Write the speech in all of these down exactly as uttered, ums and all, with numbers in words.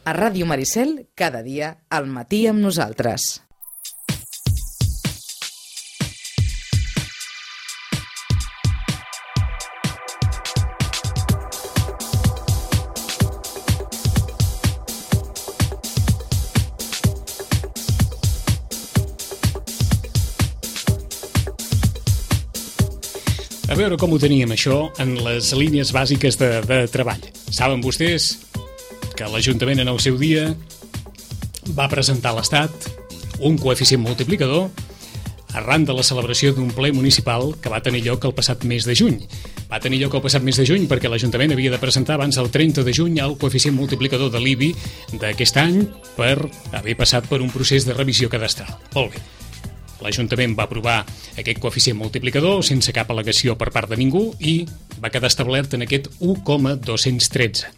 A Ràdio Maricel, cada dia, al matí amb nosaltres. A veure com ho teníem, això, en les línies bàsiques de, de treball. Saben vostès que l'Ajuntament en el seu dia va presentar a l'Estat un coeficient multiplicador arran de la celebració d'un ple municipal que va tenir lloc el passat mes de juny. Va tenir lloc el passat mes de juny perquè l'Ajuntament havia de presentar abans del trenta de juny el coeficient multiplicador de l'I B I d'aquest any per haver passat per un procés de revisió cadastral. Molt bé. L'Ajuntament va aprovar aquest coeficient multiplicador sense cap al·legació per part de ningú i va quedar establert en aquest u coma dos-cents tretze.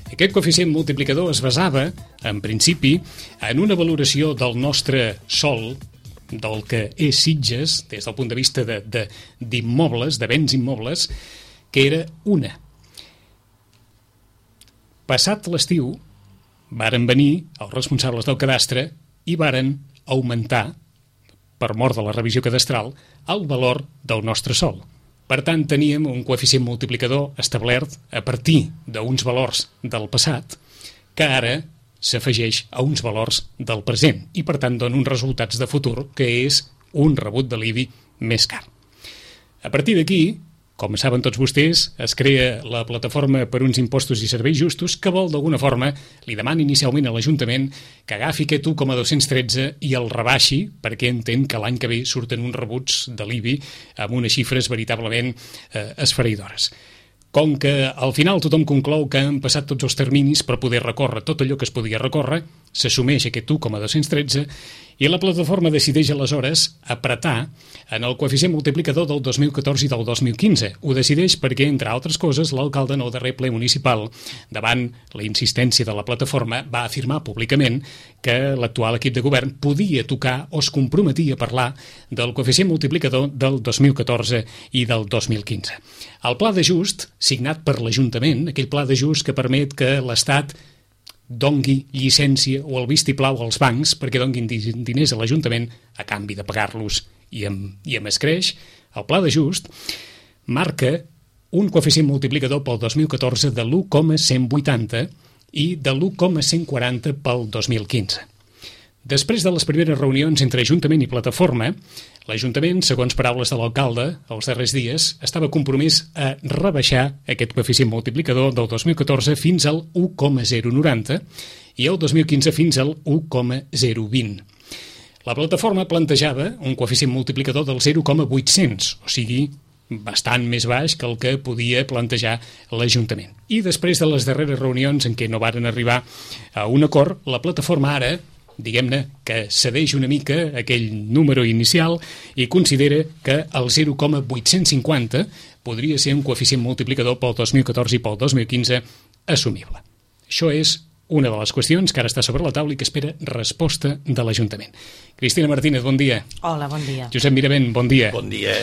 Aquest coeficient multiplicador es basava, en principi, en una valoració del nostre sòl, del que és Sitges, des del punt de vista de, de, d'immobles, de béns immobles, que era una. Passat l'estiu, varen venir els responsables del cadastre i varen augmentar, per mort de la revisió cadastral, el valor del nostre sòl. Per tant, teníem un coeficient multiplicador establert a partir d'uns valors del passat que ara s'afegeix a uns valors del present i, per tant, dona uns resultats de futur que és un rebut de l'I B I més car. A partir d'aquí, com saben tots vostès, es crea la Plataforma per uns impostos i serveis justos que vol, d'alguna forma, li demana inicialment a l'Ajuntament que agafi aquest u coma dos-cents tretze i el rebaixi perquè entén que l'any que ve surten uns rebuts de l'I B I amb unes xifres veritablement eh, esfereïdores. Com que al final tothom conclou que han passat tots els terminis per poder recórrer tot allò que es podia recórrer, s'assumeix aquest u coma dos-cents tretze i la plataforma decideix aleshores apretar en el coeficient multiplicador del dos mil catorze i del dos mil quinze. Ho decideix perquè, entre altres coses, l'alcalde en el darrer ple municipal, davant la insistència de la plataforma, va afirmar públicament que l'actual equip de govern podia tocar o es comprometia a parlar del coeficient multiplicador del dos mil catorze i del dos mil quinze. El pla d'ajust, signat per l'Ajuntament, aquell pla d'ajust que permet que l'Estat dongui llicència o el vistiplau als bancs perquè donguin diners a l'Ajuntament a canvi de pagar-los i amb, i amb escreix, el pla d'ajust marca un coeficient multiplicador pel dos mil catorze de l'u coma cent vuitanta i de l'u coma cent quaranta pel dos mil quinze. Després de les primeres reunions entre Ajuntament i Plataforma, l'Ajuntament, segons paraules de l'alcalde, els darrers dies, estava compromès a rebaixar aquest coeficient multiplicador del dos mil catorze fins al u coma zero noranta i el dos mil quinze fins al u coma zero vint. La plataforma plantejava un coeficient multiplicador del zero coma vuit-cents, o sigui, bastant més baix que el que podia plantejar l'Ajuntament. I després de les darreres reunions en què no varen arribar a un acord, la plataforma ara, diguem-ne, que cedeix una mica aquell número inicial i considera que el zero coma vuit-cents cinquanta podria ser un coeficient multiplicador pel dos mil catorze i pel dos mil quinze assumible. Això és una de les qüestions que ara està sobre la taula i que espera resposta de l'Ajuntament. Cristina Martínez, bon dia. Hola, bon dia. Josep Miravent, bon dia. Bon dia.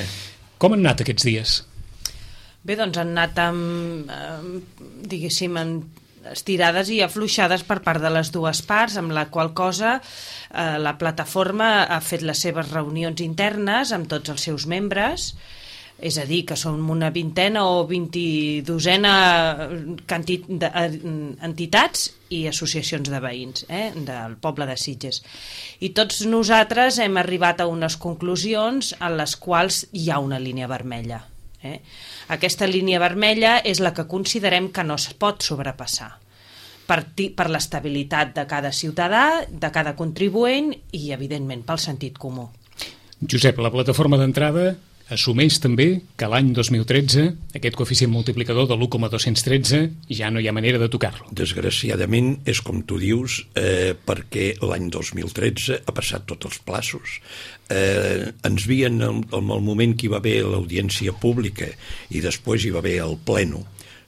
Com han anat aquests dies? Bé, doncs han anat amb, eh, diguéssim, amb estirades i afluixades per part de les dues parts, amb la qual cosa eh, la plataforma ha fet les seves reunions internes amb tots els seus membres, és a dir, que som una vintena o vint-i-dosena cantit de, entitats i associacions de veïns eh, del poble de Sitges. I tots nosaltres hem arribat a unes conclusions en les quals hi ha una línia vermella. Eh? Aquesta línia vermella és la que considerem que no es pot sobrepassar per, per l'estabilitat de cada ciutadà, de cada contribuent i, evidentment, pel sentit comú. Josep, la plataforma d'entrada assumeix també que l'any dos mil tretze aquest coeficient multiplicador de l'u coma dos-cents tretze ja no hi ha manera de tocar-lo. Desgraciadament és com tu dius, eh, perquè l'any dos mil tretze ha passat tots els plaços. Eh, ens vien en el moment que hi va haver l'audiència pública i després hi va haver el pleno.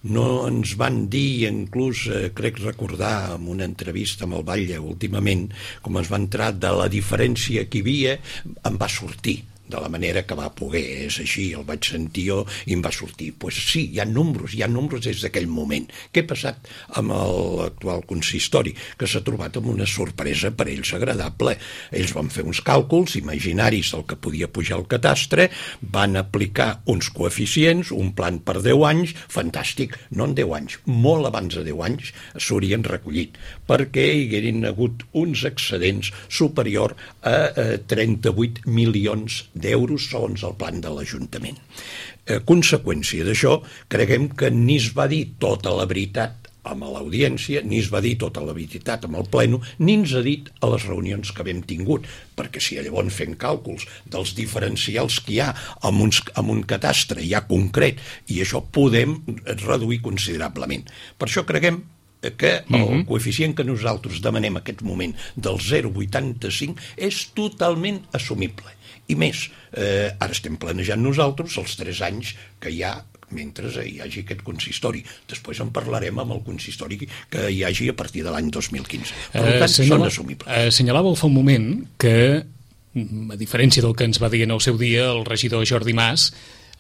No ens van dir, inclús eh, crec recordar en una entrevista amb el Batlle últimament, com ens va entrar de la diferència que hi havia, em va sortir de la manera que va poder. És així, el vaig sentir jo i em va sortir. Doncs pues sí, hi ha números, hi ha números des d'aquell moment. Què ha passat amb l'actual consistori? Que s'ha trobat amb una sorpresa per ells agradable. Ells van fer uns càlculs imaginaris del que podia pujar el catastre, van aplicar uns coeficients, un plan per deu anys, fantàstic, no en deu anys, molt abans de deu anys s'haurien recollit, perquè hi haguessin hagut uns excedents superior a eh, trenta-vuit milions d'euros segons el plan de l'Ajuntament. A conseqüència d'això, creguem que ni es va dir tota la veritat amb l'audiència, ni es va dir tota la veritat amb el pleno, ni ens ha dit a les reunions que havíem tingut, perquè si llavors fem càlculs dels diferencials que hi ha amb, uns, amb un catastre ja concret, i això podem reduir considerablement. Per això creguem que el uh-huh. coeficient que nosaltres demanem en aquest moment del zero coma vuitanta-cinc és totalment assumible. I més, eh, ara estem planejant nosaltres els tres anys que hi ha mentre hi hagi aquest consistori. Després en parlarem amb el consistori que hi hagi a partir de l'any dos mil quinze. Per tant, uh, són assumibles. Uh, assenyalàveu fa un moment que, a diferència del que ens va dir en el seu dia el regidor Jordi Mas,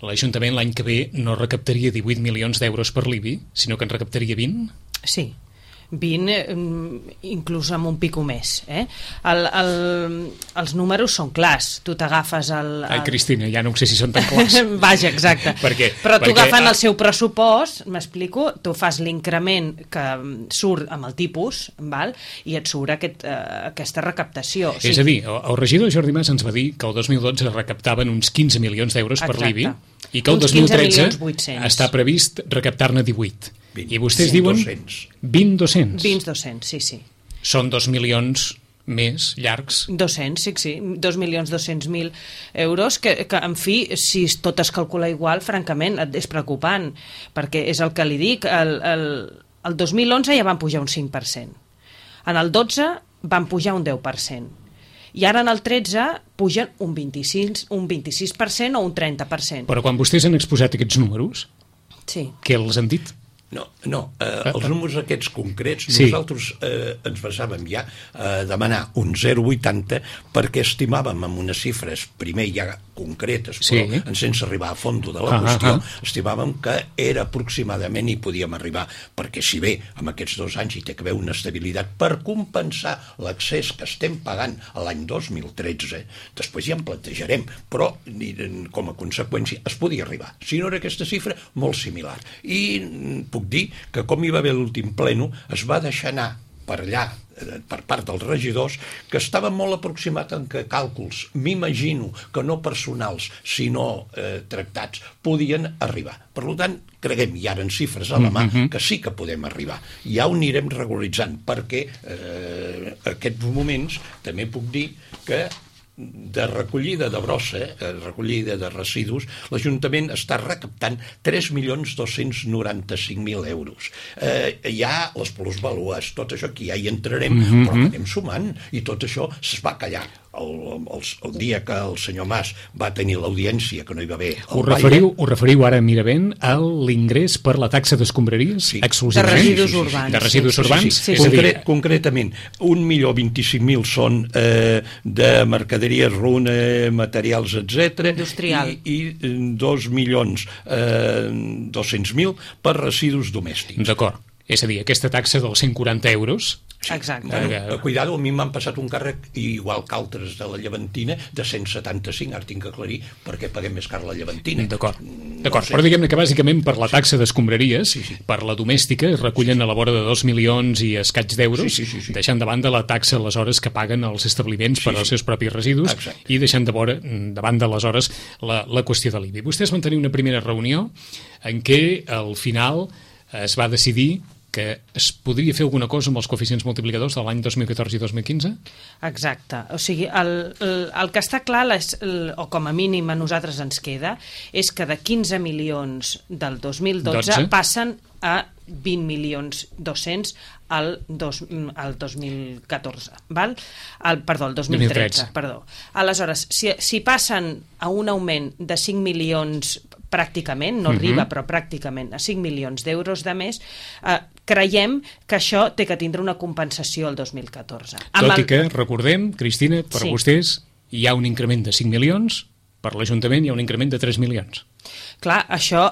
l'Ajuntament l'any que ve no recaptaria divuit milions d'euros per l'I B I, sinó que en recaptaria vint? Sí, vint, inclús amb un pico més. Eh? El, el, els números són clars. Tu t'agafes el, el... Ai, Cristina, ja no sé si són tan clars. Vaja, exacte. perquè, Però tu perquè... agafant el seu pressupost, m'explico, tu fas l'increment que surt amb el tipus, val? I et surt aquest, uh, aquesta recaptació. O sigui... És a dir, el, el regidor Jordi Mas ens va dir que el dos mil dotze recaptaven uns quinze milions d'euros per l'I B I i que el dos mil tretze està previst recaptar-ne divuit. vint, I vostès diuen vint dos-cents. vint dos-cents, sí, sí. Són dos milions més llargs. dos-cents, sí, sí. dos milions dos-cents mil euros, que, que, en fi, si tot es calcula igual, francament, és preocupant, perquè és el que li dic, el, el, el dos mil onze ja van pujar un cinc per cent. En el dotze van pujar un deu per cent. I ara en el tretze pugen un vint-i-sis, un vint-i-sis per cent o un trenta per cent. Però quan vostès han exposat aquests números, sí. què els han dit? No, no eh, els números aquests concrets, sí. Nosaltres eh, ens basàvem ja a demanar un zero coma vuitanta perquè estimàvem amb unes xifres, primer ja concretes, però sí. sense arribar a fons de la ah, qüestió, ah, ah. estimàvem que era aproximadament i podíem arribar, perquè si bé amb aquests dos anys hi té que haver una estabilitat per compensar l'accés que estem pagant a l'any dos mil tretze, després ja en plantejarem, però com a conseqüència es podia arribar. Si no era aquesta xifra, molt similar. I puc dir que com hi va haver l'últim pleno es va deixar anar per allà per part dels regidors que estava molt aproximat en que càlculs, m'imagino que no personals sinó eh, tractats, podien arribar. Per tant, creguem, hi ara en xifres a la mà, que sí que podem arribar. Ja ho anirem regularitzant perquè eh, aquests moments també puc dir que de recollida de brossa, eh, recollida de residus, l'Ajuntament està recaptant tres milions dos-cents noranta-cinc mil euros. Eh, hi ha les plusvàlues, tot això que ja hi entrarem, mm-hmm. però anem sumant, i tot això es va callar. El, el, el dia que el senyor Mas va tenir l'audiència, que no hi va haver... Ho referiu, ho referiu ara, Miravent, a l'ingrés per la taxa d'escombraries? Sí. De residus urbans. De residus sí, urbans? Sí, sí, sí. És Concret, a dir... Concretament, un milió vint-i-cinc mil són eh, de mercaderies, runa, materials, etcètera. Industrial. I, i dos milions eh, dos-cents mil per residus domèstics. D'acord. És a dir, aquesta taxa dels cent quaranta euros... Sí. Exacte. Bueno, cuidado, a mi m'han passat un càrrec, igual que altres de la Llevantina, de cent setanta-cinc, ara tinc que aclarir perquè paguem més car la Llevantina. D'acord, d'acord. No sé. Però diguem-ne que bàsicament per la taxa d'escombraries, sí, sí. per la domèstica, es recullen sí. a la vora de dos milions i escaig d'euros, sí, sí, sí, sí. deixant de banda la taxa aleshores que paguen els establiments sí, per als seus propis residus. Exacte. I deixant de vora, de banda aleshores la, la qüestió de l'I B I. Vostès van tenir una primera reunió en què al final es va decidir que es podria fer alguna cosa amb els coeficients multiplicadors de l'any dos mil catorze i dos mil quinze? Exacte. O sigui, el, el, el que està clar, les, el, o com a mínim a nosaltres ens queda, és que de quinze milions del dos mil dotze dotze passen a vint milions dos-cents al, dos, al dos mil catorze, val? El, perdó, el dos mil tretze. Perdó. Aleshores, si, si passen a un augment de cinc milions pràcticament, no arriba, uh-huh. però pràcticament a cinc milions d'euros de més, eh, creiem que això té que tindre una compensació el dos mil catorze. Tot el... i que, recordem, Cristina, per sí. vostès hi ha un increment de cinc milions per l'Ajuntament hi ha un increment de tres milions. Clar, això...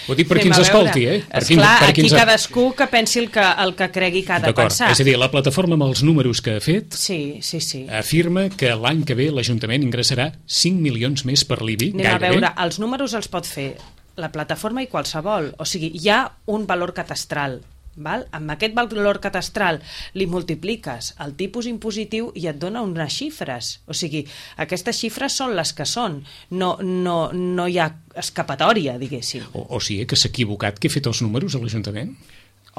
Ho dic per qui ens escolti, eh? Per qui, Esclar, per aquí ens... cadascú que pensi el que, el que cregui que ha de D'acord, pensar. és a dir, la plataforma amb els números que ha fet Sí, sí, sí. afirma que l'any que ve l'Ajuntament ingressarà cinc milions més per l'I B I, Anem a gairebé. veure, els números els pot fer la plataforma i qualsevol. O sigui, hi ha un valor catastral. Val? Amb aquest valor catastral li multipliques el tipus impositiu i et dona unes xifres. O sigui, aquestes xifres són les que són. No, no, no hi ha escapatòria, diguéssim. O, o sigui que s'ha equivocat que ha fet els números a l'Ajuntament?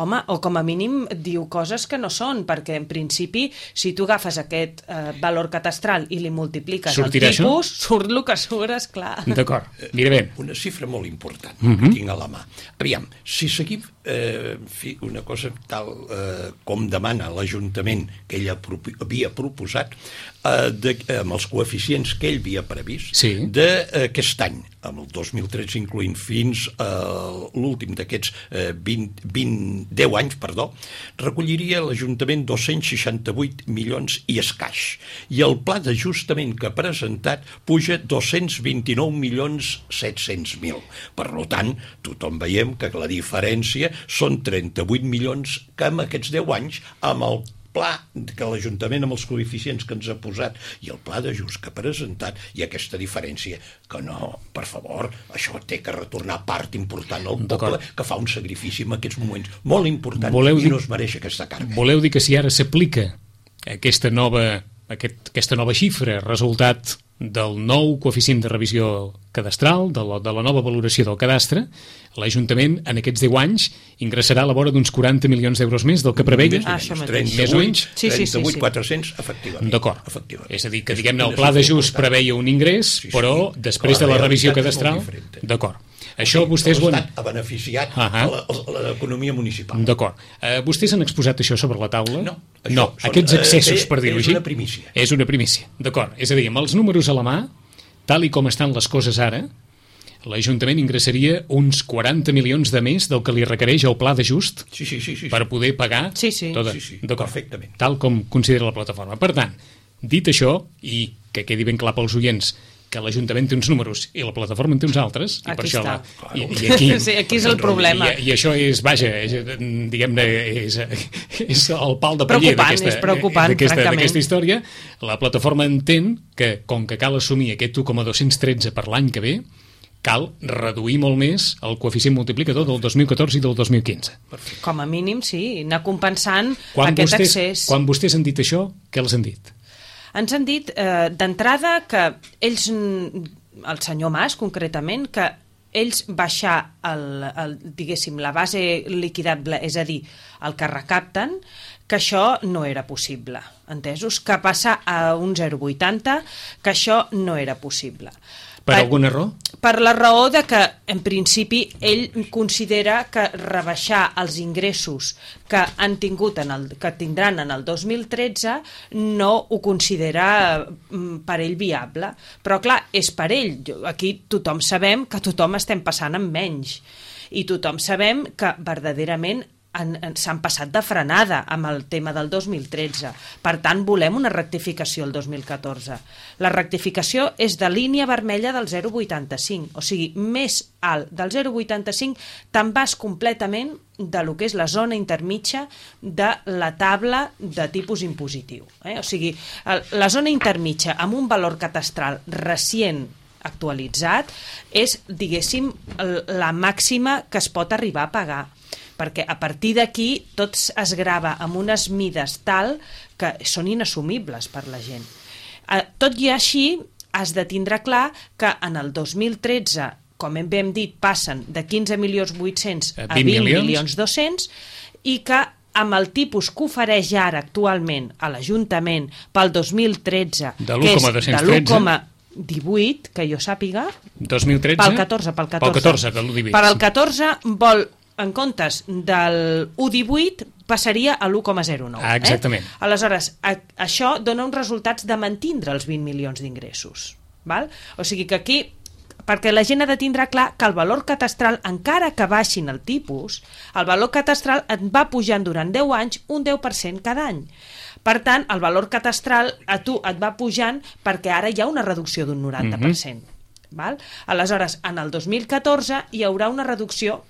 Home, o com a mínim diu coses que no són, perquè en principi, si tu agafes aquest eh, valor catastral i li multipliques Sortirà el tipus, això? surt el que surt, esclar. D'acord, mira bé. Una xifra molt important Mhm. que tinc a la mà. Aviam, si seguim eh, fi, una cosa tal eh, com demana l'Ajuntament que ell havia proposat, eh, de, amb els coeficients que ell havia previst, Sí. d'aquest any, amb el dos mil tretze incloent fins a l'últim d'aquests eh, vint, vint, deu anys, perdó, recolliria l'Ajuntament dos-cents seixanta-vuit milions i escaix. I el pla d'ajustament que ha presentat puja dos-cents vint-i-nou milions set-cents mil. Per tant, tothom veiem que la diferència són trenta-vuit milions que en aquests deu anys, amb el pla que l'Ajuntament amb els coeficients que ens ha posat i el pla d'ajust que ha presentat, hi ha aquesta diferència que no, per favor, això té que retornar part important al poble que fa un sacrifici en aquests moments molt important Voleu i dir... no es mereix aquesta càrrega. Voleu dir que si ara s'aplica aquesta nova, aquest, aquesta nova xifra, resultat del nou coeficient de revisió cadastral, de la, de la nova valoració del cadastre, l'Ajuntament en aquests deu anys ingressarà a la vora d'uns quaranta milions d'euros més del que preveia? Ah, això mateix. trenta-vuit, Més o menys? Sí, sí, sí, sí. trenta-vuit quatre-cents, efectivament. D'acord. Efectivament. És a dir, que És diguem-ne, el una pla xifra d'ajust important. preveia un ingrés, Sí, sí, però que després la de la revisió realitat és cadastral... molt diferent. D'acord. Això vostès ho han... L'Estat ha beneficiat Ah, ah. a la- a l'economia municipal. D'acord. Uh, vostès han exposat això sobre la taula? No, això No, són, aquests eh, excessos, és- per dir-ho és així. una primícia. És una primícia, d'acord. És a dir, amb els números a la mà, tal i com estan les coses ara, l'Ajuntament ingressaria uns quaranta milions de més del que li requereix el pla d'ajust Sí, sí, sí. sí. per poder pagar Sí, sí. tota... Sí, sí, D'acord. perfectament. Tal com considera la plataforma. Per tant, dit això, i que quedi ben clar pels oients que l'Ajuntament té uns números i la plataforma en té uns altres, i Aquí per això està. la, i, i aquí, Sí, aquí és el problema. I, i això és, vaja, és, diguem-ne, és, és el pal de paller Preocupant, d'aquesta és preocupant, d'aquesta- francament. d'aquesta història. La plataforma entén que, com que cal assumir aquest u coma dos-cents tretze per l'any que ve, cal reduir molt més el coeficient multiplicador del dos mil catorze i del dos mil quinze. Com a mínim, sí, anar compensant Quan aquest vostès, excés. quan vostès han dit això, què els han dit? Ens han dit eh, d'entrada que ells, el senyor Mas concretament, que ells baixar el, el, diguéssim, la base liquidable, és a dir, el que recapten, que això no era possible, entesos? Que passar a un zero coma vuitanta, que això no era possible. Per alguna raó? Per la raó de que, en principi, ell considera que rebaixar els ingressos que han tingut en el, que tindran en el dos mil tretze no ho considera mm, per ell viable. Però, clar, és per ell. Jo- Aquí tothom sabem que tothom estem passant amb menys. I tothom sabem que, verdaderament, han- han- s'han passat de frenada amb el tema del dos mil tretze. Per tant, volem una rectificació el dos mil catorze. La rectificació és de línia vermella del zero coma vuitanta-cinc, o sigui, més alt del zero coma vuitanta-cinc te'n vas completament de lo que és la zona intermitja de la taula de tipus impositiu. Eh? O sigui, el- la zona intermitja amb un valor catastral recient actualitzat és, diguéssim, el- la màxima que es pot arribar a pagar, perquè a partir d'aquí tot es grava amb unes mides tal que són inassumibles per la gent. Eh, Tot i així, has de tindre clar que en el dos mil tretze, com hem ben dit, passen de quinze milions vuit-cents a vint vint milions. milions dos-cents i que amb el tipus que ofereix ara actualment a l'Ajuntament pel dos mil tretze, De que és l'u coma dos-cents de tretze. l'u coma divuit, que jo sàpiga, dos mil tretze? pel catorze, pel catorze. Pel catorze, de l'u divuit. Per al catorze vol, en comptes del u coma divuit, passaria a l'u coma zero nou. Ah, exactament. Eh? Aleshores, a, això dona uns resultats de mantindre els vint milions d'ingressos. Val? O sigui que aquí, perquè la gent ha de tindre clar que el valor catastral, encara que baixin el tipus, el valor catastral et va pujant durant deu anys un deu per cent cada any. Per tant, el valor catastral a tu et va pujant perquè ara hi ha una reducció d'un noranta per cent. Val? Aleshores, en el dos mil catorze hi haurà una reducció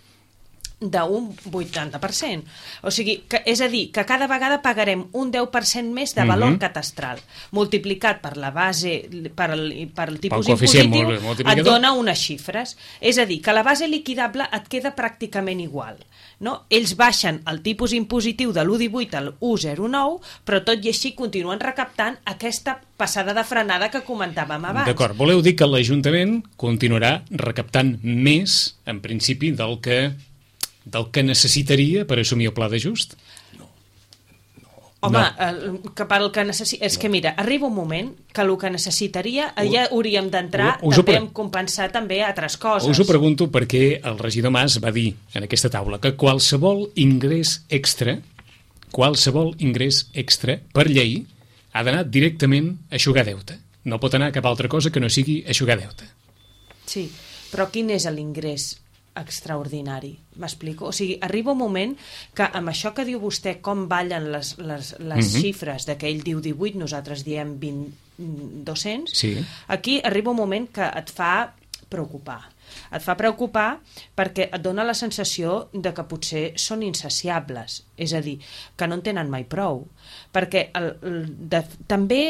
d'un vuitanta per cent. O sigui, que, és a dir, que cada vegada pagarem un deu per cent més de valor mm-hmm. catastral, multiplicat per la base, per el, per el tipus impositiu, et dona unes xifres. És a dir, que la base liquidable et queda pràcticament igual. No? Ells baixen el tipus impositiu de l'u coma divuit al u coma zero nou, però tot i així continuen recaptant aquesta passada de frenada que comentàvem abans. D'acord, voleu dir que l'Ajuntament continuarà recaptant més, en principi, del que del que necessitaria per assumir el pla d'ajust? No. no. Home, no. El, que per el que necessi... És no. que mira, arriba un moment que el que necessitaria ho, ja hauríem d'entrar també pre... en compensar també altres coses. Us ho pregunto perquè el regidor Mas va dir en aquesta taula que qualsevol ingrés extra, qualsevol ingrés extra, per llei, ha d'anar directament a eixugar deute. No pot anar a cap altra cosa que no sigui eixugar deute. Sí, però quin és l'ingrés extraordinari, m'explico? O sigui, arriba un moment que amb això que diu vostè, com ballen les, les, les mm-hmm. xifres de que ell diu divuit, nosaltres diem vint, dos-cents, sí. Aquí arriba un moment que et fa preocupar. Et fa preocupar perquè et dona la sensació de que potser són insaciables, és a dir, que no en tenen mai prou. Perquè el, el, de, també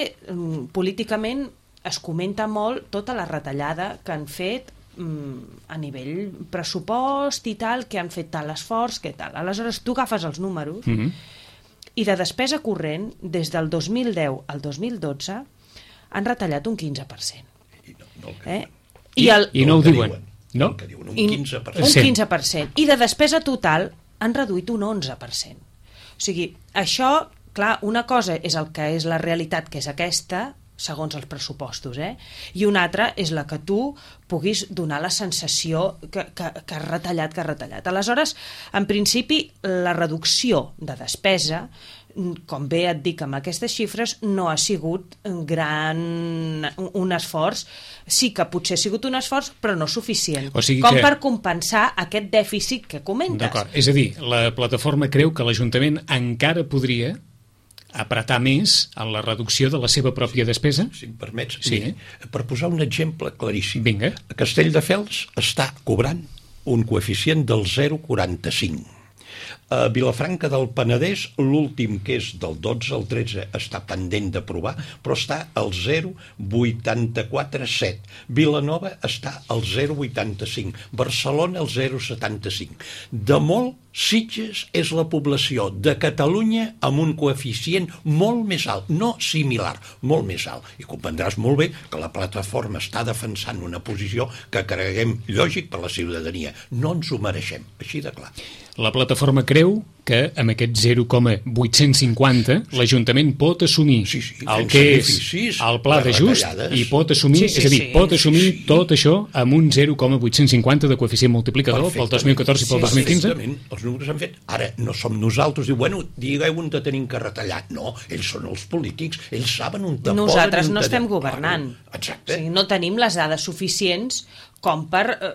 políticament es comenta molt tota la retallada que han fet a nivell pressupost i tal, que han fet tal esforç, que tal. Aleshores, tu agafes els números mm-hmm. i de despesa corrent, des del dos mil deu al dos mil dotze, han retallat un quinze per cent. I no, no eh? I, I, el, I no ho diuen. No? Que diuen un quinze per cent. Un quinze per cent. I de despesa total han reduït un onze per cent. O sigui, això, clar, una cosa és el que és la realitat, que és aquesta, segons els pressupostos, eh? I una altra és la que tu puguis donar la sensació que, que, que has retallat, que has retallat. Aleshores, en principi, la reducció de despesa, com bé et dic amb aquestes xifres, no ha sigut gran, un esforç. Sí que potser ha sigut un esforç, però no suficient. O sigui com que... per compensar aquest dèficit que comentes. D'acord, és a dir, la plataforma creu que l'Ajuntament encara podria apretar més en la reducció de la seva pròpia despesa? Si em permets, sí. Mira, per posar un exemple claríssim. Vinga. Castelldefels està cobrant un coeficient del zero coma quaranta-cinc. A Vilafranca del Penedès, l'últim, que és del dotze al tretze, està pendent d'aprovar, però està al zero coma vuitanta-quatre set. Vilanova està al zero coma vuitanta-cinc. Barcelona al zero coma setanta-cinc. De molt, Sitges és la població de Catalunya amb un coeficient molt més alt, no similar, molt més alt. I comprendràs molt bé que la plataforma està defensant una posició que creguem lògic per la ciutadania. No ens ho mereixem, així de clar. La plataforma creu que amb aquest zero coma vuit-cents cinquanta l'Ajuntament pot assumir sí, sí, el que és el pla d'ajust i pot assumir, sí, sí, és a dir, pot assumir sí. tot això amb un zero coma vuit-cents cinquanta de coeficient multiplicador pel dos mil catorze i pel sí, dos mil quinze? Els números s'han fet. Ara no som nosaltres, diu, bueno, digueu on te tenim que retallar. No, ells són els polítics, ells saben on te poden... Nosaltres no estem governant. Exacte. O sigui, no tenim les dades suficients com per eh,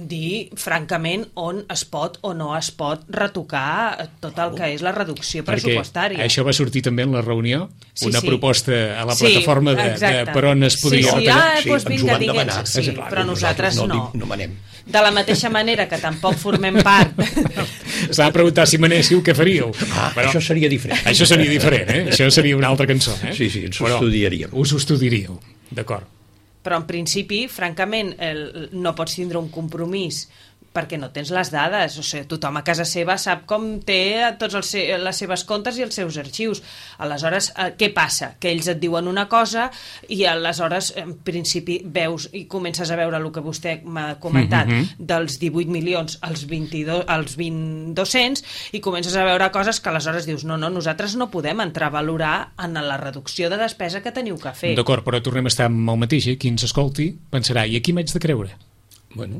dir, francament, on es pot o no es pot retocar tot el que és la reducció pressupostària. Perquè això va sortir també en la reunió, sí, una sí. proposta a la plataforma sí, de, de per on es podria sí, sí, retallar. Ah, sí, doncs vinga, ens ho van digue'ns, demanar. sí, clar, però nosaltres, nosaltres no. No, no manem. De la mateixa manera que tampoc formem part. S'ha de preguntar si manéssiu què faríeu. Ah, però això seria diferent. Això seria diferent, eh? Això seria una altra cançó, eh? Sí, sí, ens ho estudiaríem. Us ho estudiaríeu, d'acord. Però en principi, francament, el, no pots tindre un compromís perquè no tens les dades. O sigui, tothom a casa seva sap com té tots els, les seves comptes i els seus arxius. Aleshores, eh, què passa? Que ells et diuen una cosa i aleshores, en principi, veus i comences a veure el que vostè m'ha comentat mm-hmm. dels divuit milions als vint-i-dos, als vint dos-cents i comences a veure coses que aleshores dius no, no, nosaltres no podem entrar a valorar en la reducció de despesa que teniu que fer. D'acord, però tornem a estar amb el mateix, eh? Qui ens escolti pensarà, i aquí m'haig de creure? Bueno...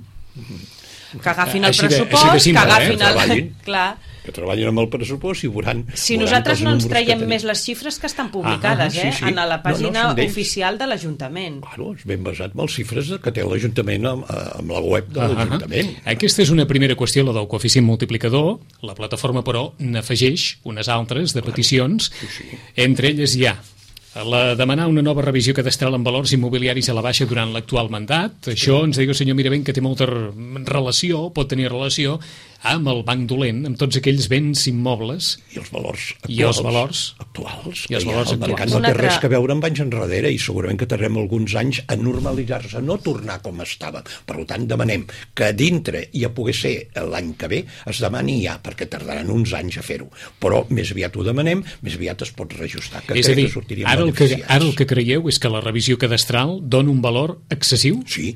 que agafin el així pressupost, de, de simple, que agafin eh? el... Clar. Que treballin amb el pressupost i veuran... Si nosaltres no ens traiem més les xifres que estan publicades, ah, sí, sí. eh, en la pàgina no, no, oficial de l'Ajuntament. Claro, és ben basat en les xifres que té l'Ajuntament amb, amb la web de l'Ajuntament. Uh -huh. Aquesta és una primera qüestió, la del coeficient multiplicador. La plataforma, però, n'afegeix unes altres de peticions. Sí, sí. Entre elles hi ha la demanar una nova revisió cadastral en valors immobiliaris a la baixa durant l'actual mandat. Això ens diu el senyor Miravent que té molta relació, pot tenir relació amb el banc dolent, amb tots aquells béns immobles i els valors actuals. I els valors actuals. I els valors el mercat actuals. no té altra... res que veure amb anys enrere i segurament que tardem alguns anys a normalitzar-se, no tornar com estava. Per tant, demanem que dintre i a poder ser l'any que ve es demani ja, perquè tardaran uns anys a fer-ho. Però més aviat ho demanem, més aviat es pot reajustar, que és a dir, que sortiríem ara el que, beneficiats. ara el que creieu és que la revisió cadastral dona un valor excessiu? Sí.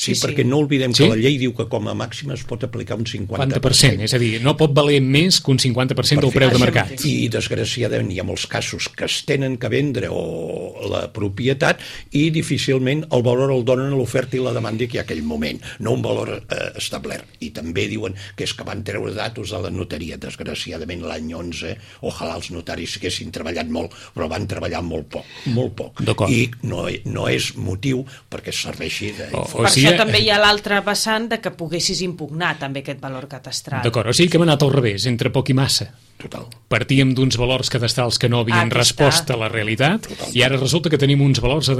Sí, Sí, sí. perquè no oblidem Sí? que la llei diu que com a màxim es pot aplicar un cinquanta per cent. cinquanta per cent, és a dir, no pot valer més que un cinquanta per cent del preu de mercat. I, desgraciadament, hi ha molts casos que es tenen que vendre o la propietat i difícilment el valor el donen a l'oferta i la demanda que hi ha aquell moment, no un valor eh, establert. I també diuen que és que van treure datos de la notaria. Desgraciadament, l'any onze, ojalà els notaris haguessin treballat molt, però van treballar molt poc, molt poc. I no, no és motiu perquè serveixi d'informació. O, o per sigui, això també hi ha l'altre vessant de que poguessis impugnar també aquest valor catastral. D'acord, o sigui que hem anat al revés, entre poc i massa. Total. Partíem d'uns valors cadastrals que no havien Aquí respost està. a la realitat. Total. I ara resulta que tenim uns valors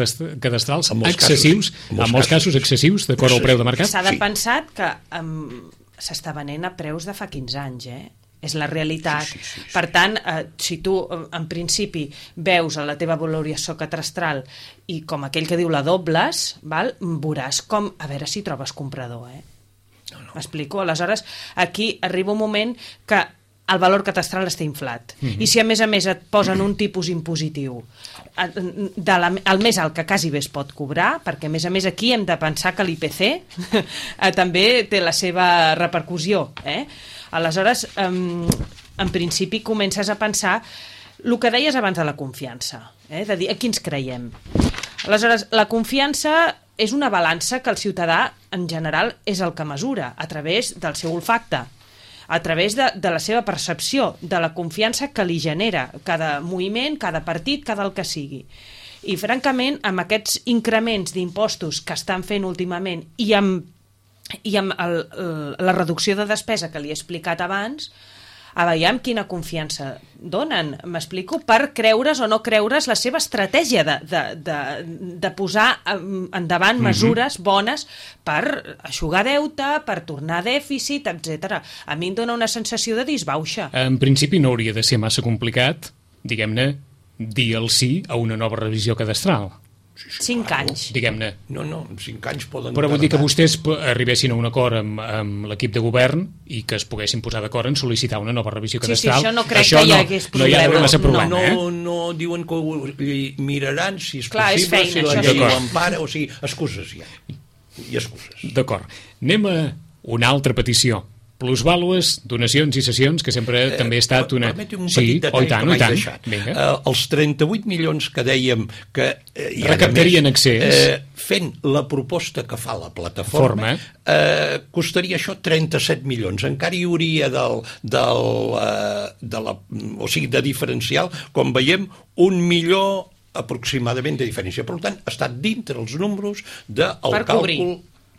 cadastrals excessius, casos, en en molts casos, casos excessius, d'acord al preu de mercat. S'ha de Sí. pensar que um, s'està venent a preus de fa quinze anys, eh? És la realitat. Sí, sí, sí, sí. Per tant, eh, si tu, en principi, veus a la teva valoració catastral i com aquell que diu la dobles, val? Veuràs com, a veure si trobes comprador, eh? No, no. M'explico? Aleshores, aquí arriba un moment que el valor catastral està inflat. Mm-hmm. I si a més a més et posen un tipus impositiu de la, el més alt que quasi bé es pot cobrar, perquè a més a més aquí hem de pensar que l'I P C també té la seva repercussió, eh? Aleshores, um, en principi comences a pensar el que deies abans de la confiança, eh? De dir a qui ens creiem. Aleshores, la confiança és una balança que el ciutadà en general és el que mesura a través del seu olfacte, a través de, de la seva percepció, de la confiança que li genera cada moviment, cada partit, cada el que sigui. I, francament, amb aquests increments d'impostos que estan fent últimament i amb, i amb el, el, la reducció de despesa que li he explicat abans, a veure quina confiança donen, m'explico, per creure's o no creure's la seva estratègia de, de, de, de posar endavant mesures bones per eixugar deute, per tornar dèficit, etcètera. A mi em dona una sensació de disbauxa. En principi no hauria de ser massa complicat, diguem-ne, dir el sí a una nova revisió cadastral. Sí, sí, Cinc claro. anys. Diguem-ne. No, no, en cinc anys poden... Però vull dir que tardar. vostès arribessin a un acord amb, amb l'equip de govern i que es poguessin posar d'acord en sol·licitar una nova revisió Sí, sí, cadastral. això no crec això que hi no, hagués no hi ha problema. massa problema, no, eh? no, no diuen que ho miraran si és Clar, és possible, feina, si la això llei sí. ho empara, o sigui, excuses ja. I excuses. D'acord. Anem a una altra petició. Plusvàlues, donacions i sessions, que sempre eh, també ha estat una... Permeti un sí, petit detall oh, i tant, que oh, i m'he tant. deixat. Vinga. Eh, els trenta-vuit milions que dèiem que... Eh, i ara Recaptarien més, accés. Eh, fent la proposta que fa la plataforma, Forma. eh, costaria això trenta-set milions. Encara hi hauria del, del, eh, de la, o sigui, de diferencial, com veiem, un milió aproximadament de diferència. Per tant, està dintre els números del Per càlcul... cobrir.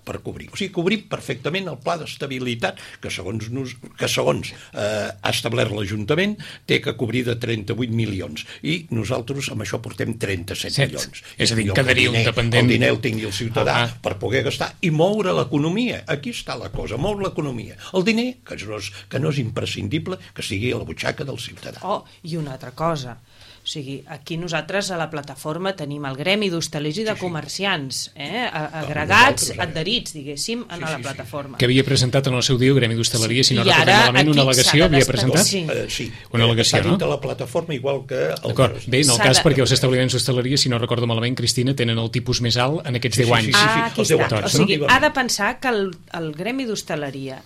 per cobrir. O sigui, cobrir perfectament el pla d'estabilitat que segons, nos, que segons eh, ha establert l'Ajuntament té que cobrir de trenta-vuit milions i nosaltres amb això portem trenta-set Set. milions. És a dir, millor quedaria que el un diner, dependent- el diner el tingui el ciutadà Ah. per poder gastar i moure l'economia. Aquí està la cosa, moure l'economia. El diner, que no és, que no és imprescindible que sigui a la butxaca del ciutadà. Oh, i una altra cosa. O sigui, aquí nosaltres a la plataforma tenim el gremi d'hostalers i de comerciants, eh? agregats, nosaltres, ara. adherits, diguéssim, a Sí, la sí, sí. plataforma. Que havia presentat en el seu dia el Gremi d'Hostaleria, si no I recordem ara malament, una aquí al·legació s'ha de havia destacar- presentat? sí. Eh, sí. Una al·legació, Està no? dintre la plataforma igual que... el D'acord. resto. Bé, en el S'ha cas, de- perquè els establiments d'hostaleria, si no recordo malament, Cristina, tenen el tipus més alt en aquests Sí, deu sí, anys. sí, sí. Ah, aquí els deu està. anys, O sigui, no? ha de pensar que el, el gremi d'hostaleria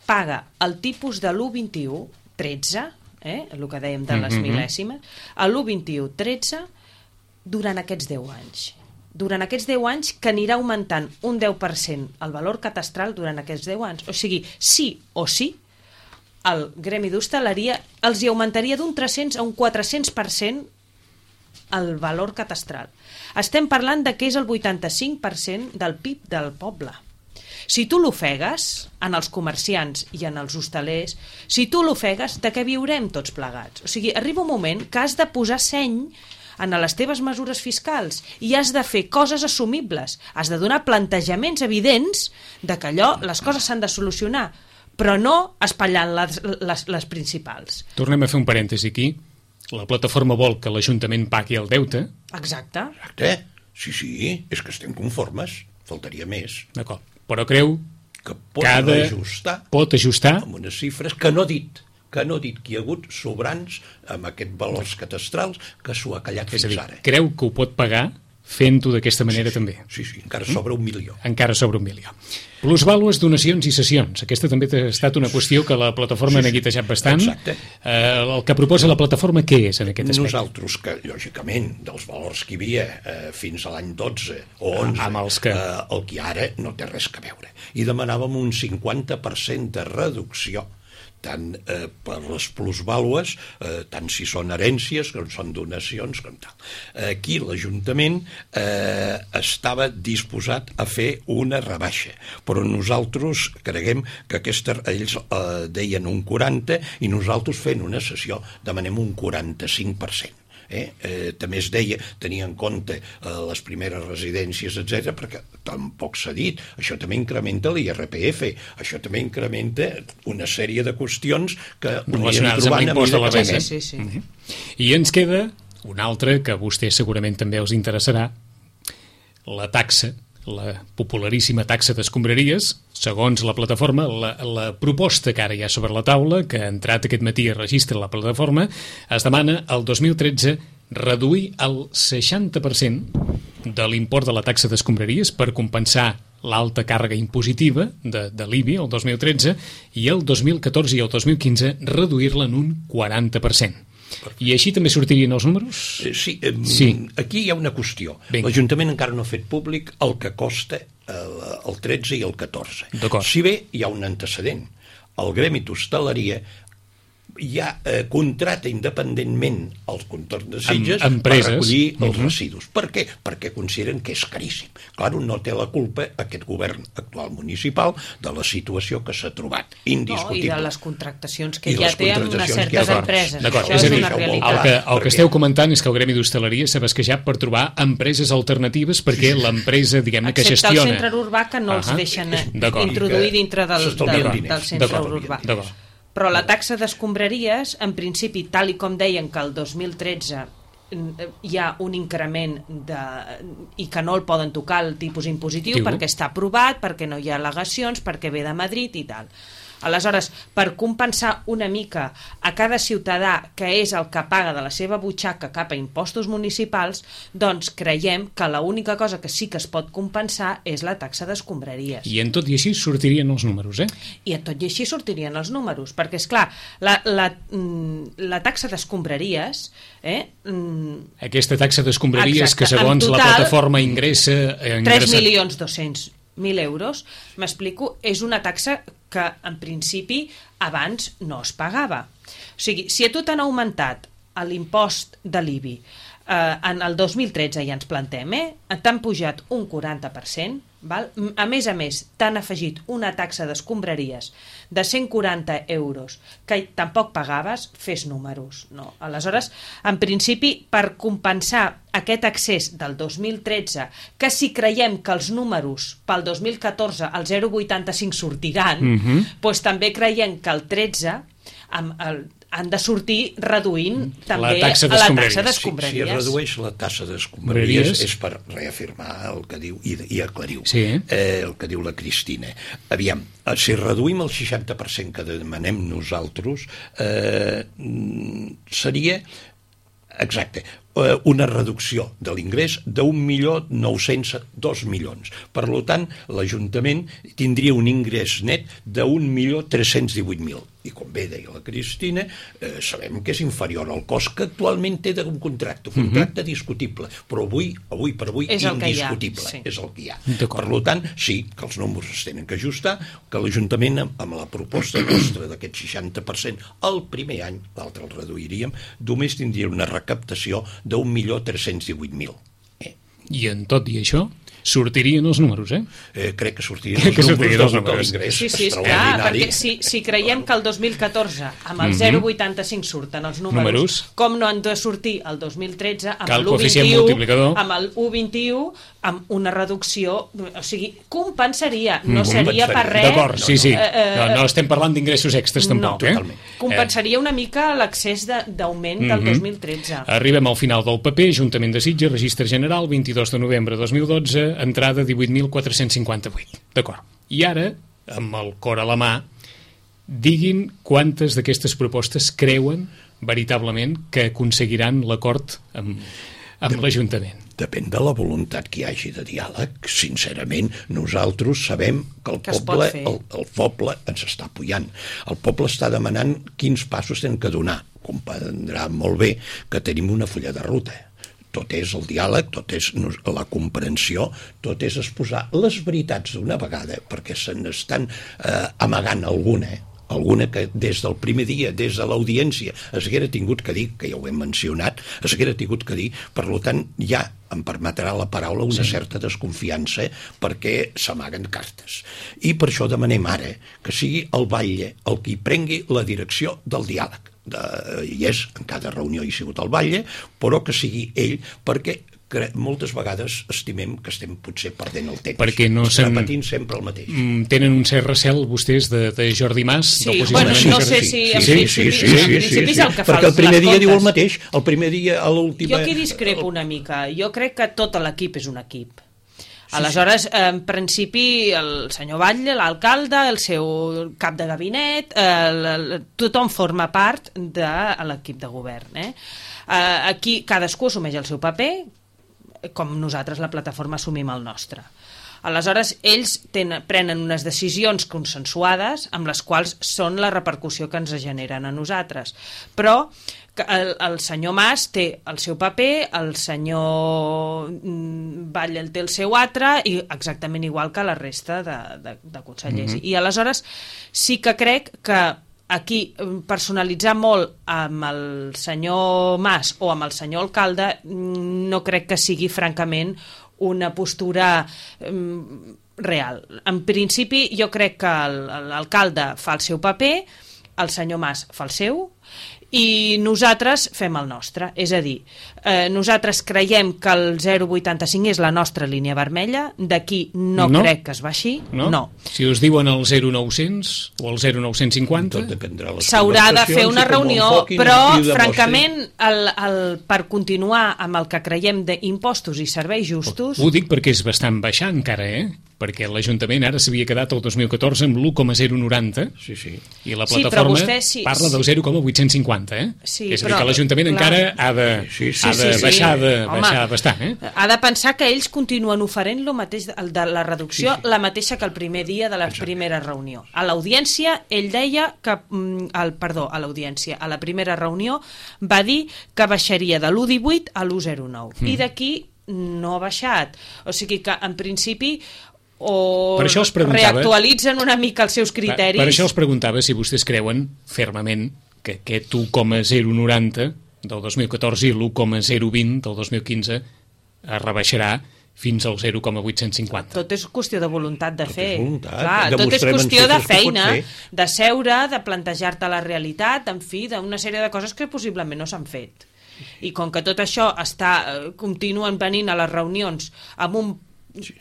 paga el tipus de l'u vint u tretze, eh? el que dèiem de les Mhm. mil·lèsimes, a l'u vint u tretze durant aquests deu anys. Durant aquests deu anys que anirà augmentant un deu per cent el valor catastral durant aquests deu anys. O sigui, sí o sí, el gremi d'hostaleria els hi augmentaria d'un tres-cents a un quatre-cents per cent el valor catastral. Estem parlant de que és el vuitanta-cinc per cent del P I B del poble. Si tu l'ofegues en els comerciants i en els hostalers, si tu l'ofegues, de què viurem tots plegats? O sigui, arriba un moment que has de posar seny en les teves mesures fiscals i has de fer coses assumibles, has de donar plantejaments evidents de que allò, les coses s'han de solucionar, però no espatllant les, les, les principals. Tornem a fer un parèntesi aquí. La plataforma vol que l'Ajuntament pagui el deute. Exacte. Exacte. Sí, sí, és que estem conformes. Faltaria més. D'acord. Però creu que pot que ha de... ajustar, pot ajustar amb unes xifres que no ha dit, que no ha dit que hi ha hagut sobrants amb aquests valors catastrals que s'ho ha callat fins dir, ara. Creu que ho pot pagar fent-ho d'aquesta manera sí, sí, també. Sí, sí, encara sobra un milió. Encara sobra un milió. Plusvàlues, donacions i cessions. Aquesta també ha estat una qüestió que la plataforma sí, sí. ha neguitejat bastant. Exacte. Eh, el que proposa la plataforma, què és en aquest aspecte? Nosaltres, que lògicament, dels valors que hi havia eh, fins a l'any dotze o onze, amb els que... eh, el que ara no té res a veure. I demanàvem un cinquanta per cent de reducció tant eh, per les plusvàlues, eh, tant si són herències, com són donacions, com tal. Aquí l'Ajuntament eh, estava disposat a fer una rebaixa, però nosaltres creguem que aquesta, ells eh, deien un quaranta i nosaltres fent una sessió demanem un quaranta-cinc per cent. Eh? Eh, també es deia, tenia en compte eh, les primeres residències, etcètera, perquè tampoc s'ha dit, això també incrementa l'I R P F, això també incrementa una sèrie de qüestions que relacionades amb l'impost de la renda. Sí, sí, sí. Uh-huh. I ens queda una altra que a vostès segurament també els interessarà, la taxa, la popularíssima taxa d'escombraries. Segons la plataforma, la, la proposta que ara hi ha sobre la taula, que ha entrat aquest matí a registre la plataforma, es demana el dos mil tretze reduir el seixanta per cent de l'import de la taxa d'escombraries per compensar l'alta càrrega impositiva de, de l'I B I el dos mil tretze i el dos mil catorze i el dos mil quinze reduir-la en un quaranta per cent. I així també sortirien els números? Eh, sí, eh, sí, aquí hi ha una qüestió. Vinga. L'Ajuntament encara no ha fet públic el que costa el, el tretze i el catorze. Si bé hi ha un antecedent. El Gremi d'Hostaleria ja eh, contracta independentment els contorns de Sitges Em, per recollir els uh-huh. residus. Per què? Perquè consideren que és caríssim. Clar, no té la culpa aquest govern actual municipal de la situació que s'ha trobat, indiscutible. No, i de les contractacions que I ja les té amb unes certes ha... empreses. D'acord, Això és a és dir, una realitat. el que, el que esteu comentant és que el Gremi d'Hostaleria s'ha basquejat per trobar empreses alternatives perquè l'empresa, diguem-ne, que excepte gestiona... el centre urbà, que no els uh-huh. deixen introduir dintre del, del, del centre urbà. D'acord. Però la taxa d'escombraries, en principi, tal i com deien que el dos mil tretze hi ha un increment de, i que no el poden tocar el tipus impositiu Diu. perquè està aprovat, perquè no hi ha al·legacions, perquè ve de Madrid i tal. Aleshores, per compensar una mica a cada ciutadà que és el que paga de la seva butxaca cap a impostos municipals, doncs creiem que l'única cosa que sí que es pot compensar és la taxa d'escombraries. I en tot i així sortirien els números, eh? I en tot i així sortirien els números, perquè, és clar, la, la, la taxa d'escombraries... Eh, Aquesta taxa d'escombraries exacte, que segons total, la plataforma ingressa... Eh, ingressa... tres milions dos-cents mil euros, m'explico, és una taxa que en principi abans no es pagava. O sigui, si a tu t'han augmentat l'impost de l'I B I eh, en el dos mil tretze ja ens plantem, eh? T'han pujat un quaranta per cent, val? A més a més t'han afegit una taxa d'escombraries de cent quaranta euros que tampoc pagaves, fes números, no? Aleshores, en principi, per compensar aquest accés del dos mil tretze, que si creiem que els números pel dos mil catorze al zero coma vuitanta-cinc sortiran, uh-huh. doncs també creiem que el tretze amb el han de sortir reduint també la taxa la taxa d'escombraries. Si, si es redueix la taxa d'escombraries és per reafirmar el que diu i, i aclarir sí. eh, el que diu la Cristina. Aviam, si reduïm el seixanta per cent que demanem nosaltres, eh, seria exacte, una reducció de l'ingrés d'un milió nou-cents dos milions. Per tant, l'Ajuntament tindria un ingrés net d'un milió tres-cents divuit mil. I com bé deia la Cristina, eh, sabem que és inferior al cost que actualment té d'un contracte, un contracte uh-huh. discutible, però avui, avui per avui, és indiscutible. Sí. És el que hi ha. Per tant, sí, que els números es tenen que ajustar, que l'Ajuntament, amb la proposta nostra d'aquest seixanta per cent el primer any, l'altre el reduiríem, només tindria una recaptació d'un milió tres-cents divuit mil. Eh? I en tot i això? sortirien els números, eh? eh crec que sortirien Crec els que sortirien números els de números. l'ingrés Sí, sí, és clar, extraordinari. perquè si, si creiem que el dos mil catorze amb el Mhm. zero coma vuitanta-cinc surten els números, Números. com no han de sortir el dos mil tretze amb Cal l'u coma coeficient vint i u, multiplicador. amb el u coma vint i u, amb una reducció, o sigui, compensaria, no Mhm. seria per res. D'acord, sí, sí. Eh, eh, No, no estem parlant d'ingressos extras tampoc, no, eh? totalment. Compensaria una mica l'accés de- d'augment del Mhm. dos mil tretze. Arribem al final del paper, Ajuntament de Sitges, Registre General, vint-i-dos de novembre de dos mil dotze, entrada divuit mil quatre-cents cinquanta-vuit. D'acord. I ara, amb el cor a la mà, diguin quantes d'aquestes propostes creuen veritablement que aconseguiran l'acord amb, amb l'Ajuntament. Depèn de la voluntat que hi hagi de diàleg. Sincerament, nosaltres sabem que el Que es poble, pot fer. el, el poble ens està apoyant. El poble està demanant quins passos tenen que donar. Comprendrà molt bé que tenim una fulla de ruta. Tot és el diàleg, tot és la comprensió, tot és exposar les veritats d'una vegada, perquè se n'estan eh, amagant alguna, eh? alguna que des del primer dia, des de l'audiència, es haguera tingut que dir, que ja ho hem mencionat, es haguera tingut que dir, per tant, ja em permetrà la paraula una sí. certa desconfiança perquè s'amaguen cartes. I per això demanem ara que sigui el batlle el qui prengui la direcció del diàleg. De, i és, en cada reunió hi ha sigut el batlle, però que sigui ell, perquè que moltes vegades estimem que estem potser perdent el temps. Perquè no Estem se'n- repetint sempre el mateix. Mm, Tenen un cert recel vostès de, de Jordi Mas? Sí, del bueno, posicionament no de sé Jordi- si Sí, en sí, principi- sí, sí, en sí, principi sí, és el que fa perquè el els- primer les dia diu el comptes. mateix, el primer dia a l'última... Jo aquí discrepo una mica. Jo crec que tot l'equip és un equip. Aleshores, en principi, el senyor Batlle, l'alcalde, el seu cap de gabinet, el, el, tothom forma part de l'equip de govern. Eh? Eh, aquí cadascú assumeix el seu paper, com nosaltres, la plataforma, assumim el nostre. Aleshores, ells tenen, prenen unes decisions consensuades amb les quals són la repercussió que ens generen a nosaltres. Però que el, el senyor Mas té el seu paper, el senyor mm, Batlle el té el seu altre, i exactament igual que la resta de, de, de consellers. Mm-hmm. I aleshores sí que crec que aquí personalitzar molt amb el senyor Mas o amb el senyor alcalde no crec que sigui francament una postura um, real. En principi jo crec que l'alcalde fa el seu paper, el senyor Mas fa el seu i nosaltres fem el nostre. És a dir, eh, nosaltres creiem que el zero coma vuitanta-cinc és la nostra línia vermella, d'aquí no, No. crec que es baixi. No? no. Si us diuen el zero coma nou cents o el zero coma nou cents cinquanta... Tot dependrà de les S'haurà de fer conversacions una i com ho reunió, enfoquin però i ho demostrin. francament el, el, per continuar amb el que creiem d'impostos i serveis justos, Ho dic perquè és bastant baixar encara, eh? Perquè l'Ajuntament ara s'havia quedat el dos mil catorze amb l'u coma zero noranta Sí, sí. i la Sí, però plataforma vostè sí- parla del zero coma vuit-cents cinquanta, eh? Sí, és a dir, però, que l'Ajuntament clar. encara ha de, Sí, sí, ha sí, de sí, sí. baixar, de, Home, baixar bastant, eh? ha de pensar que ells continuen oferint lo mateix, el de la reducció, sí, sí. la mateixa que el primer dia de la Exacte. primera reunió. A l'audiència, ell deia que, mm, el, perdó, a l'audiència, a la primera reunió, va dir que baixaria de l'u coma divuit a l'u coma zero nou. Mm. I d'aquí no ha baixat. O sigui que, en principi, o Per això els preguntava- reactualitzen una mica els seus Per, criteris. per això els preguntava si vostès creuen fermament que aquest u coma zero noranta del dos mil catorze i l'u coma zero vint del dos mil quinze es rebaixarà fins al zero coma vuit-cents cinquanta. Tot és qüestió de voluntat de Tot fer. és voluntat. Clar, tot és Demostrem en qüestió de xifres que pot feina, fer. de seure, de plantejar-te la realitat, en fi, d'una sèrie de coses que possiblement no s'han fet. I com que tot això està, eh, continuen venint a les reunions amb un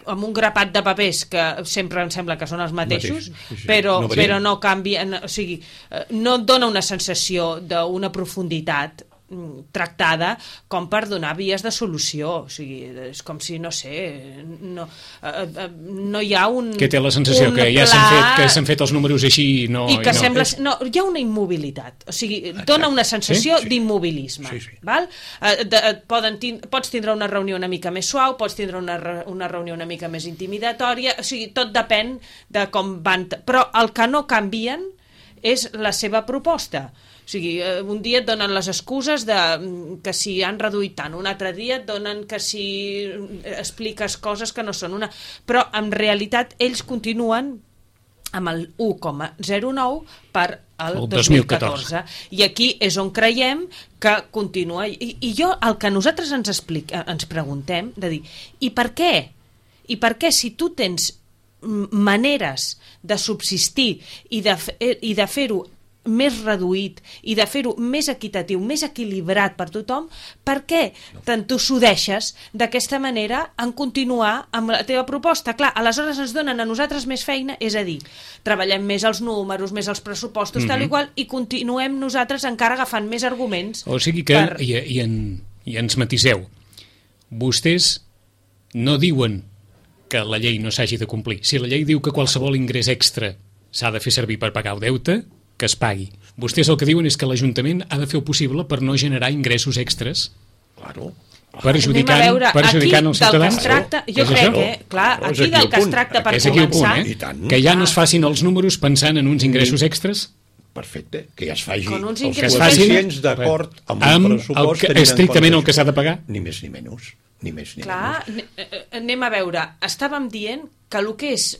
amb un grapat de papers que sempre em sembla que són els mateixos, Mateixos, sí, sí. però, No no varien. però no canvien, o sigui, eh, no et dona una sensació d'una profunditat mm, tractada com per donar vies de solució. O sigui, és com si, no sé, no, eh, eh, no hi ha un Que té la sensació un que ja s'han pla fet, que s'han fet els números així i no... i que no. sembla... No, hi ha una immobilitat. O sigui, dona una sensació Sí, sí. d'immobilisme. Sí, sí. Val? Eh, de, et poden tin pots tindre una reunió una mica més suau, pots tindre una, re una reunió una mica més intimidatòria, o sigui, tot depèn de com van... Però el que no canvien és la seva proposta. O sigui, eh, un dia et donen les excuses de mm, que si han reduït tant, un altre dia et donen que si eh, expliques coses que no són una... Però, en realitat, ells continuen amb el u coma zero nou per al El dos mil catorze. I aquí és on creiem que continua. I, i jo, el que nosaltres ens, explica, ens preguntem, de dir, i per què? I per què, si tu tens maneres de subsistir i de, i de fer-ho més reduït i de fer-ho més equitatiu, més equilibrat per tothom, per què t'entossudeixes d'aquesta manera en continuar amb la teva proposta? Clar, aleshores ens donen a nosaltres més feina, és a dir, treballem més els números, més els pressupostos, mm-hmm. tal i qual, i continuem nosaltres encara agafant més arguments. O sigui que, per... i, i, en, i ens matiseu, vostès no diuen que la llei no s'hagi de complir. Si la llei diu que qualsevol ingrés extra s'ha de fer servir per pagar el deute, que es pagui. Vostès el que diuen és que l'Ajuntament ha de fer el possible per no generar ingressos extres. Claro. Perjudicant, veure, perjudicant els ciutadans. Tracta, jo crec que, clar, no, aquí del que es tracta per començar... Punt, eh? Que ja no es facin els números pensant en uns ingressos extres. Perfecte, que ja es faci els coeficients d'acord amb el pressupost que, que estrictament el que s'ha de pagar. Ni més ni menys. Ni més ni clar, menys. Anem a veure, estàvem dient que el que és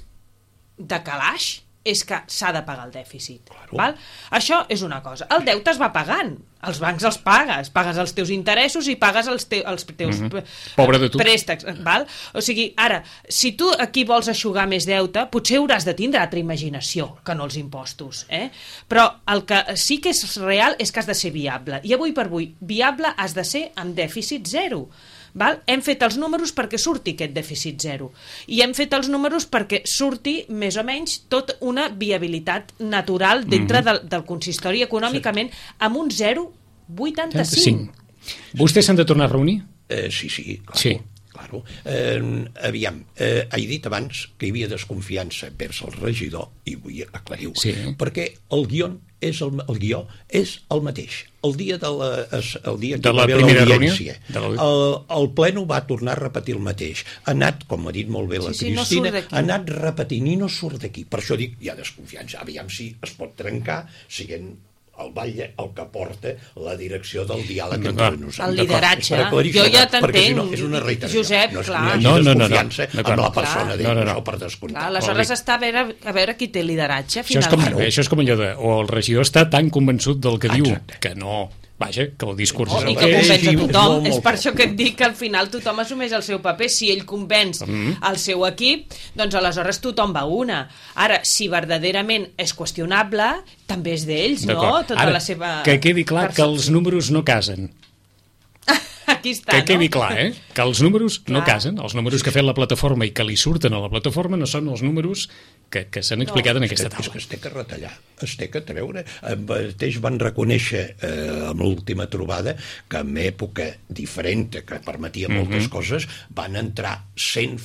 de calaix és que s'ha de pagar el dèficit. Claro. Val? Això és una cosa. El deute es va pagant. Els bancs els pagues. Pagues els teus interessos i pagues els, te els teus mm-hmm. Pobre de tu. préstecs. Val? O sigui, ara, si tu aquí vols eixugar més deute, potser hauràs de tindre altra imaginació que no els impostos. Eh? Però el que sí que és real és que has de ser viable. I avui per avui, viable has de ser amb dèficit zero. Val? Hem fet els números perquè surti aquest dèficit zero i hem fet els números perquè surti més o menys tot una viabilitat natural dintre mm-hmm. del, del consistori econòmicament amb un zero coma vuitanta-cinc. Vostès s'han de tornar a reunir? Eh, sí, sí, claro. Sí. Claro. Eh, aviam, eh, he dit abans que hi havia desconfiança vers el regidor i vull aclarir-ho, sí. perquè el guió és el, el guió és el mateix. El dia de la, el dia de la primera reunió, la... el, el pleno va tornar a repetir el mateix. Ha anat, com ha dit molt bé la sí, sí, Cristina, no ha anat repetint i no surt d'aquí. Per això dic, hi ha desconfiança. Aviam si es pot trencar siguent el batlle el que porta la direcció del diàleg no, entre nosaltres. El lideratge. Jo ja t'entenc, si no, és una reiteració. Josep, no, clar. No, no, no, no, desconfiança no, no, amb la persona no, no, no. per descomptar. Clar, aleshores està a veure, a veure qui té lideratge, això finalment. És com, això és com allò de... O el regidor està tan convençut del que Exacte. diu que no... Vaja, que el discurs oh, és el que que és. convenç a tothom. És, molt, molt és per això que et dic que al final tothom assumeix el seu paper. Si ell convenç mm-hmm. el seu equip, doncs aleshores tothom va una. Ara, si verdaderament és qüestionable, també és d'ells, no? Tota Ara, la seva... que quedi clar percepció. Que els números no casen. Aquí està, que quedi no? clar, eh? Que els números clar. no casen. Els números que ha fet la plataforma i que li surten a la plataforma no són els números que, que s'han explicat no. en aquesta taula. És que es té que retallar, es té que treure. Ells van reconèixer eh, amb l'última trobada que en època diferent, que permetia mm-hmm. moltes coses, van entrar cent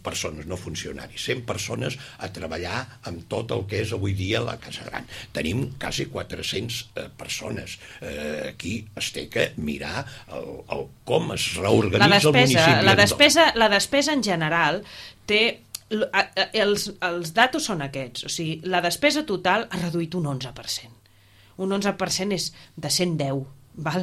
persones, no funcionaris, cent persones a treballar amb tot el que és avui dia la Casa Gran. Tenim quasi quatre-cents eh, persones. Eh, aquí es té que mirar el, el, com es reorganitza la despesa, el municipi. La despesa, la despesa en general té... Els, els datos són aquests, o sigui, la despesa total ha reduït un onze per cent. Un onze per cent és de cent deu, val?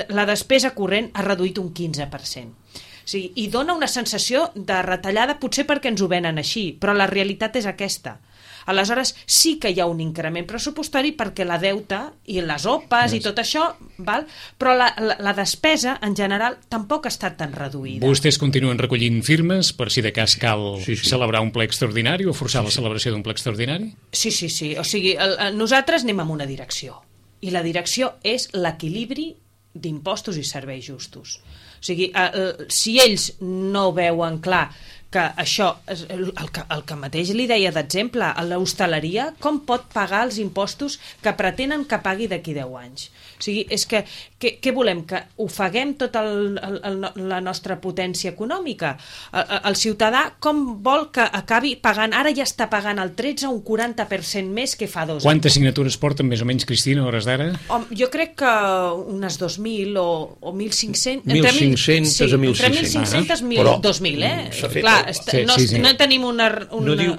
La despesa corrent ha reduït un quinze per cent. O sigui, i dona una sensació de retallada, potser perquè ens ho venen així, però la realitat és aquesta. Aleshores sí que hi ha un increment pressupostari perquè la deuta i les O P A s i tot això, val? Però la, la, la despesa en general tampoc ha estat tan reduïda. Vostès continuen recollint firmes per si de cas cal sí, sí. celebrar un ple extraordinari o forçar sí, sí. la celebració d'un ple extraordinari? Sí, sí, sí. O sigui, el, el, nosaltres anem amb una direcció i la direcció és l'equilibri d'impostos i serveis justos. O sigui, el, si ells no veuen clar que això, el, el, que, el que mateix li deia d'exemple, a l'hostaleria, com pot pagar els impostos que pretenen que pagui d'aquí deu anys? O sigui, és que, que què volem? Que ofeguem tota la nostra potència econòmica? El, el ciutadà com vol que acabi pagant? Ara ja està pagant el tretze o un quaranta per cent més que fa dos anys. Quantes signatures porten més o menys, Cristina, a hores d'ara? Jo crec que unes dos mil o, o mil cinc-cents... mil cinc-cents sí, a mil sis-cents. Entre mil cinc-cents i dos mil, eh? Clar, Sí, no, sí, sí. no tenim una, una, no diu,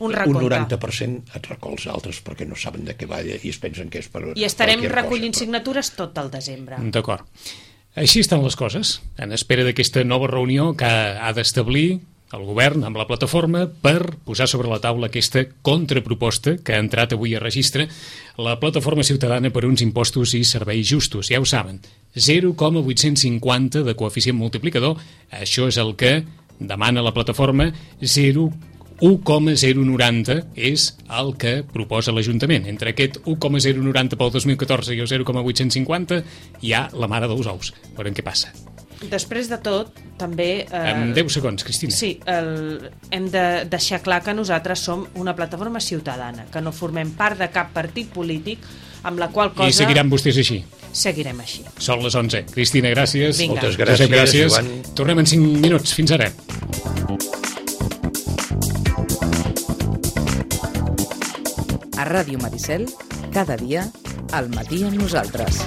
un recompte. Un noranta per cent et recolza altres perquè no saben de què va i es pensen que és per... I estarem recollint cosa, però... signatures tot el desembre. D'acord. Així estan les coses, en espera d'aquesta nova reunió que ha d'establir el govern amb la plataforma per posar sobre la taula aquesta contraproposta que ha entrat avui a registre la plataforma ciutadana per uns impostos i serveis justos. Ja ho saben, zero coma vuit-cents cinquanta de coeficient multiplicador, això és el que demana la plataforma zero un coma zero noranta és el que proposa l'Ajuntament. Entre aquest un coma zero noranta pel dos mil catorze i el zero coma vuit-cents cinquanta hi ha la mare dels ous. Veurem què passa. Després de tot, també... Eh, En deu segons, Cristina. Sí, el, hem de deixar clar que nosaltres som una plataforma ciutadana, que no formem part de cap partit polític, amb la qual cosa... I seguiran vostès així? Seguirem així. Són les onze. Cristina, gràcies. Vinga. Moltes gràcies, Josep, gràcies. Joan. Tornem en cinc minuts. Fins ara. A Ràdio Maricel, cada dia, al matí amb nosaltres.